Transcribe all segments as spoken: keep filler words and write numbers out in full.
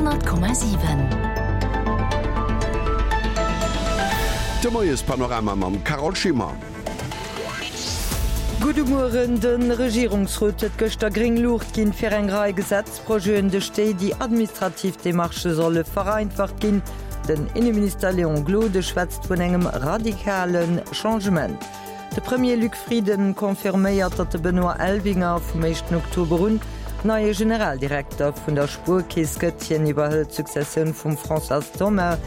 Honnert Komma siwen. De Moiespanorama mam Carole Schimmer. Gudde Mueren, De Regierungsrot huet gëschter gréng Luucht ginn fir eng Rei Gesetzprojeten, duerch déi déi administrativ Demarchë solle vereinfacht ginn. Den Inneminister Léon Gloden schwätzt vun engem radikale Changement. De Premier Luc Frieden confirméiert, datt de Benoît Elvinger vum éischten Oktober un neie Generaldirekter vun der Spuerkeess gëtt. Hien iwwerhëlt d'Successioun vum Françoise Thoma.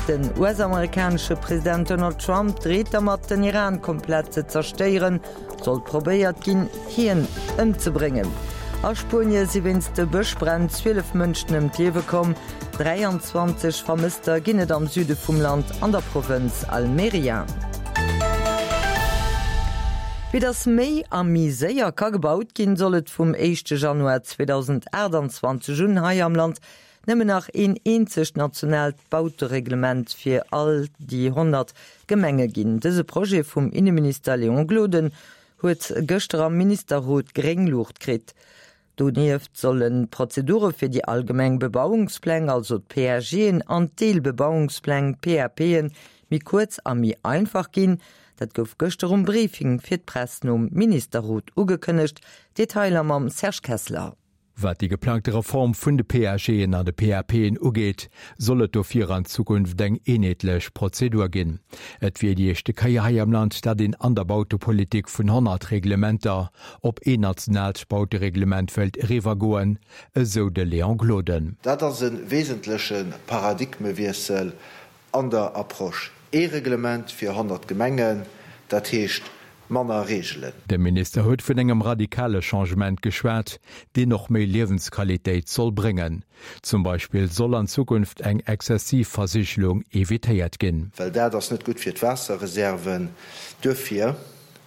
Den U S-amerikanesche President Donald Trump dreet dermat, den Iran komplett ze zerstéieren, sollt probéiert ginn, hien ëmzebréngen. A Spuenie si wéinst de Bëschbränn zwielef Mënschen ëm d'Liewe komm. dräianzwanzeg Vermësster ginn et am Süde vum Land an der Provënz Almeria. Fir datt méi a méi séier ka gebaut ginn, soll et vum éischte Januar zweedausendaachtanzwanzeg un hei am Land nëmmen nach een eenzegt nationaalt Bautereglement fir all déi honnert Gemenge ginn. Dëse Projet vum Inneminister Léon Gloden huet gëschter am Ministerrot gréng Luucht kritt. Donieft sollen d'Prozedure fir déi allgemeng Bebauungspläng, also d'P A Gen, an d'Deelbebauungspläng, P A Pen, méi kuerz a méi einfach ginn. Dat gouf gëschter um Briefing fir d'Press nom Ministerrot ugekënnegt. Detailer mam Serge Kessler. Wat déi geplangte Reform vun de P A Gen an de P A Pen ugeet, soll et dofir an Zukunft eng eenheetlech Prozedur ginn. Et wier déi éischte Kéier hei am Land, datt een an der Bautepolitik vun honnert Reglementer op een nationaalt Bautereglement wëllt eriwwergoen, esou de Léon Gloden. Dat ass e wesentleche Paradigmewiessel an der Approche. Ee Reglement fir honnert Gemengen, dat heescht manner Reegelen. De Minister huet vun engem radikale Changement geschwat, deen och méi Liewensqualitéit soll bréngen. Zum Beispill soll an Zukunft eng exzessiv Versigelung evitéiert ginn. Well dat ass net gutt fir d'Waasserreserven. Duerfir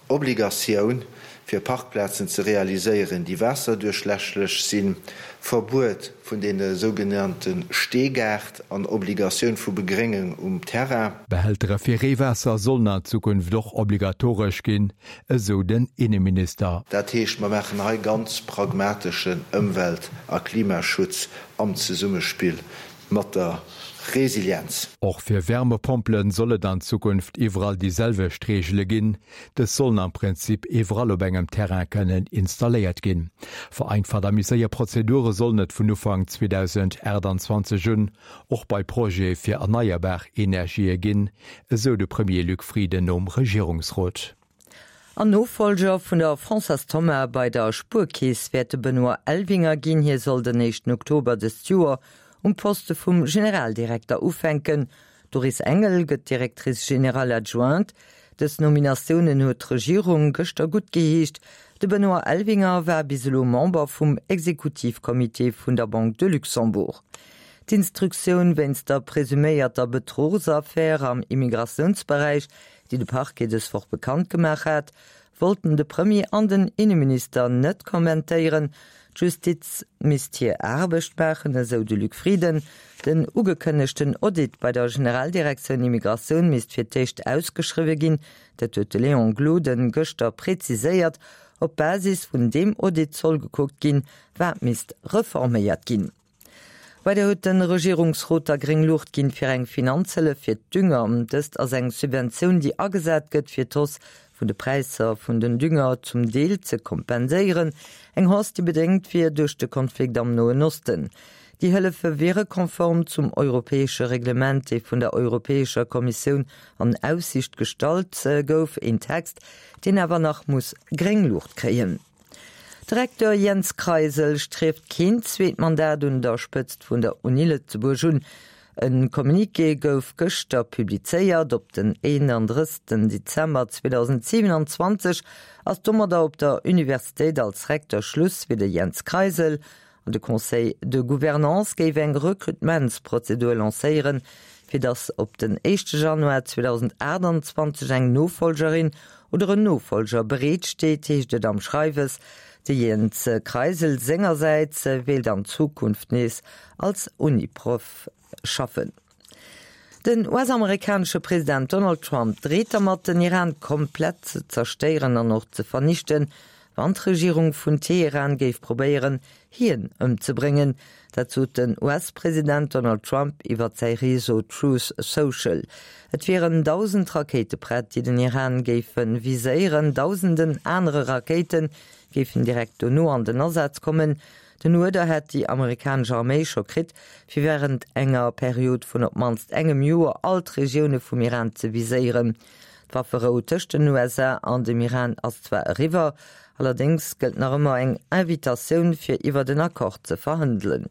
Obligatioun fir Parkplazen ze realiséieren, déi waasserduerchlässlech sinn, Verbuet vun deene sougenannte Steegaart an Obligatioun vu Begréngung um Terrain. Behältere fir Reewaasser sollen an Zukunft och obligatoresch ginn, esou den Inneminister. Dat heescht, mer maachen hei ganz pragmateschen Ëmwelt a Klimaschutz am Zesummespill mat der Resilienz. Och fir Wärmepompelen soll et an Zukunft iwwerall déi selwecht Reegele ginn. Dës sollen am Prinzip iwwerall op engem Terrain kënnen installéiert ginn. Vereinfacht a méi séier Prozedure sollen et vun Ufank zweedausendaachtanzwanzeg un och bei Projete fir erneierbar Energië ginn, esou de Premier Luc Frieden nom Regierungsrot. An Nofollger vun der Françoise Thoma bei der Spuerkeess wäert de Benoît Elvinger ginn. Hie soll den éischten Oktober dëst Joer um Poste vum Generaldirekter ufänken. D'Doris Engel gëtt Directrice générale adjointe. Dës Nominatiounen huet d'Regierung gëschter guttgeheescht. De Benoît Elvinger war bis elo Member vum Exekutivcomité vun der Banque de Luxembourg. D'Instruktioun wéinst der presuméierter Bedruchsaffär am Immigratiounsberäich, déi de Parquet dës Woch bekannt gemaach hat, wollten de Premier an den Inneminister net kommentéieren. D'Justiz misst hir Aarbecht maachen, esou de Luc Frieden. Den ugekënnegten Audit bei der Generaldirektioun Immigratioun misst fir d'éischt ausgeschriwwe ginn, dat huet de Léon Gloden gëschter präziséiert. Op Basis vun deem Audit soll gekuckt ginn, wat misst reforméiert ginn. Weider huet de Regierungsrot da gréng Luucht ginn fir eng Finanzhëllef fir d'Dünger. Dëst ass eng Subventioun, déi agesat gëtt, fir d'Hausse vun de Präisser vun den Dünger zum Deel ze kompenséieren. Eng Hausse, déi bedéngt wier duerch de Konflikt am Noen Osten. Déi Hëllefe wiere konform zum europäesche Reglement, dee vun der Europäescher Kommissioun an Aussiicht gestallt gouf, een Text, deen awer nach muss gréng Luucht kréien. De Recteur Jens Kreisel strieft keen zweet Mandat un der Spëtzt vun der Uni Lëtzebuerg un. E Communiqué gouf gëschter publizéiert. Op den eenandrëssegsten Dezember zweedausendsiewenanzwanzeg ass domadder op der Universitéit als Recteur Schluss fir de Jens Kreisel. An de Conseil de Gouvernance géif eng Rekrutementsprozedur lancéieren, fir datt op den éischte Januar zweedausendaachtanzwanzeg eng Nofollgerin oder en Nofollger bereet steet, heescht et am Schreiwes. De Jens Kreisel sengersäits wéilt an Zukunft nees als Uniproff schaffen. Den U S-amerikanesche President Donald Trump dreet dermat, den Iran komplett ze zerstéieren an och ze vernichten, wann d'Regierung vun Teheran géif probéieren, hien ëmzebréngen. Dat sot den US-President Donald Trump iwwer säi Réseau Truth Social. Et wieren dausend Rakéite prett, déi den Iran géife viséieren. Dausenden anere Rakéite géifen direkt dono an den Asaz kommen. Den Uerder hätt déi amerikanesch Arméi scho kritt, fir wärend enger Period vun op d'mannst engem Joer all d'Regioune vum Iran ze viséieren. D'Wafferou tëscht den USA an dem Iran ass zwar eriwwer, allerdéngs gëllt nach ëmmer eng Invitatioun fir iwwert en Accord ze verhandelen.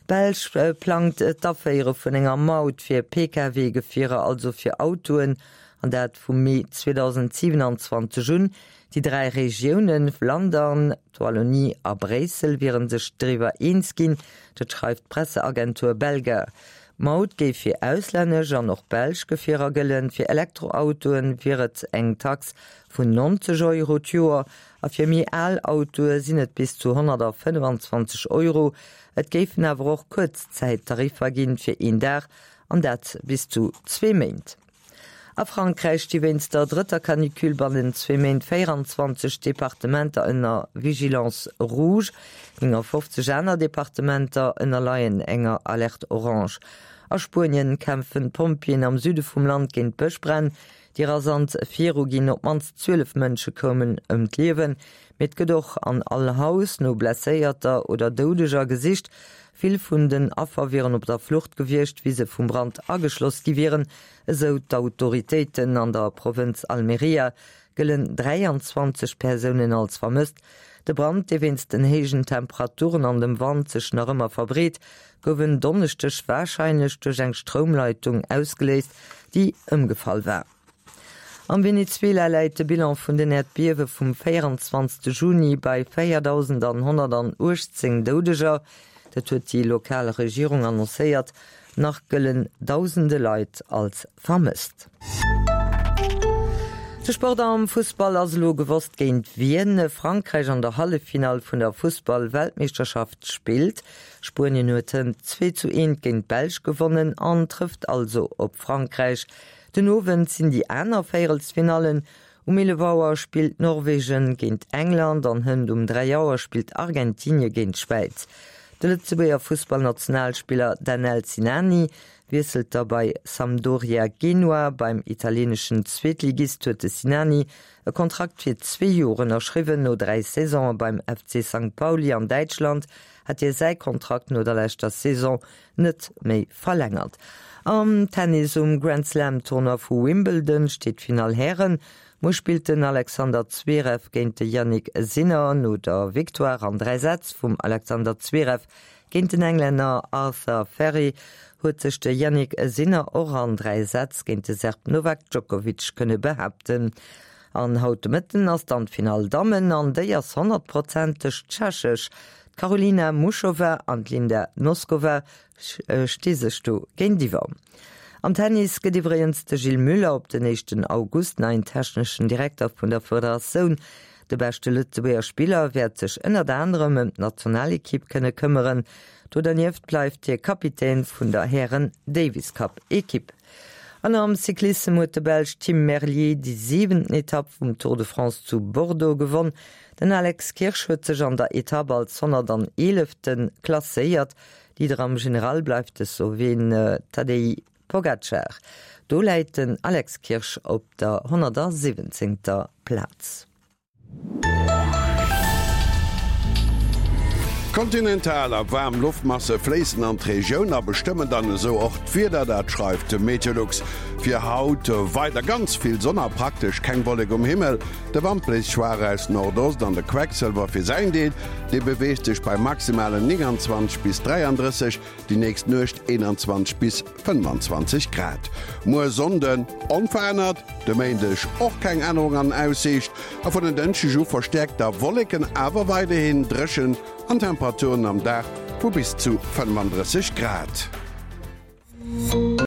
D'Belsch plangt d'Aféiere vun enger Maut fir Pkw-Gefierer, also fir Autoen, an dat vum Mee zweedausendsiewenanzwanzeg un. Déi dräi Regiounen Flandern, d'Wallonie a Bréissel wiere sech driwwer eens ginn, dat schreift d'Presseagentur Belga. D'Maut géif fir auslännesch an och belsch Gefierer gëllen. Fir Elektroautoe wier et eng Tax vun neunzeg Euro d'Joer a fir méi al Autoe sinn et bis zu honnertfënnefenzwanzeg Euro. Et géifen awer och Kuerzzäittariffer ginn fir een Dag, an dat bis zu zwee Méint. A Frankräich sti wéinst der drëtter Canicule bannent zwee Méint véieranzwanzeg Departementer ënner Vigilance rouge. néngafofzeg aner Departementer ënnerleien enger Alerte orange. A Spuenien kämpfen d'Pompjeeën am Süde vum Land géint Bëschbränn, déi rasant viruginn. Op d'mannst zwielef Mënsche koumen ëm d'Liewen, mee et gëtt och an all Haus no Blesséierter oder Doudeger gesicht. Vill vun den Affer wieren op der Flucht gewiescht, wéi se vum Brand ageschloss gi wieren, esou d'Autoritéiten. An der Provënz Almería gëllen dräianzwanzeg Persounen als vermësst. De Brand, dee wéinst den héijen Temperaturen an dem Wand sech nach ëmmer verbreet, gouf en Donneschdeg warscheinlech duerch eng Stroumleitung ausgeléist, déi ëmgefall war. Am Venezuela läit de Bilan vun den Äerdbiewe vum véieranzwanzegste Juni bei véierdausendhonnertachtzéng Doudeger. Dat huet déi lokal Regierung annoncéiert. Nach gëllen dausende Leit als vermësst. De Sport Am Fussball ass elo gewosst géint wien Frankräich an der Halleffinall vun der Fussball-Weltmeeschterschaft spillt. Spuenien huet hënt zwee zu eent géint d'Belsch gewonnen an trëfft also op Frankräich. Den Owend sinn déi aner Véierelsfinallen. Um eelef Auer spillt Norwegen géint England an hënt um dräi Auer spillt Argentinie géint d'Schwäiz. De Lëtzebuerger Fussballnationalspiller Danel Sinani wiesselt da bei Sampdoria Genua. Beim italieeneschen Zweetligist huet de Sinani e Kontrakt fir zwee Joer ënnerschriwwen. No dräi Saisone beim F C Sankt Pauli an Däitschland hat hie säi Kontrakt no der leschter Saison net méi verlängert. Am Tennis um Grand Slam Tournoi vu Wimbledon steet d'Finall Hären. Muer spillt den Alexander Zverev géint de Jannik Sinner. No der Victoire an dräi Sätz vum Alexander Zverev géint den Englänner Arthur Fery huet sech de Jannik Sinner och an dräi Sätz géint de Serb Novak Djokovic kënne behaapten. An haut de Mëtten ass dann d'Finall Dammen an déi ass honnertprozenteg tschechesch. D'Karolina Muchova an d'Linda Noskova sti sech do géintiwwer. Am Tennis gëtt iwwregens de Gilles Müller op den éischten August neien techneschen Direkter vun der Federatioun. De beschte Lëtzebuerger Spiller wäert sech ënnert anerem ëm d'Nationalekipp kënne këmmeren. Do dernieft bleift hie Kapitän vun der Hären-Davis-Cup-Ekipp. An am Cyclissem huet de Belsch Tim Merlier déi siwenten Etapp vum Tour de France zu Bordeaux gewonn. Den Alex Kirsch huet sech an der Etapp als honnertaneelefte klasséiert. Leader am General bleift de Sloween Tadej Pogacar. Do läit den Alex Kirsch op der honnertsiwwenzéngter Plaz. Kontinental a waarm Loftmasse fléissen an d'Regioun a bestëmmen dann esou och d'Wieder, dat schreift de Meteolux. Fir haut weider ganz vill Sonn a praktesch keng Wollek um Himmel. De Wand bléist schwaach aus Nordost an de Quecksëlwer fir säin Deel, dee beweegt sech bei maximalen neunundzwanzeg bis dräianddrësseg, déi nächst Nuecht eenanzwanzeg bis fënnefanzwanzeg Grad. Muer Sonnden onverännert, de Méindeg och keng Ännerung an Aussiicht a vun en Dënschdeg u verstäerkt da Wolleken, awer weiderhin dréchen an Temperaturen am Dag vu bis zu fënnefandrësseg Grad.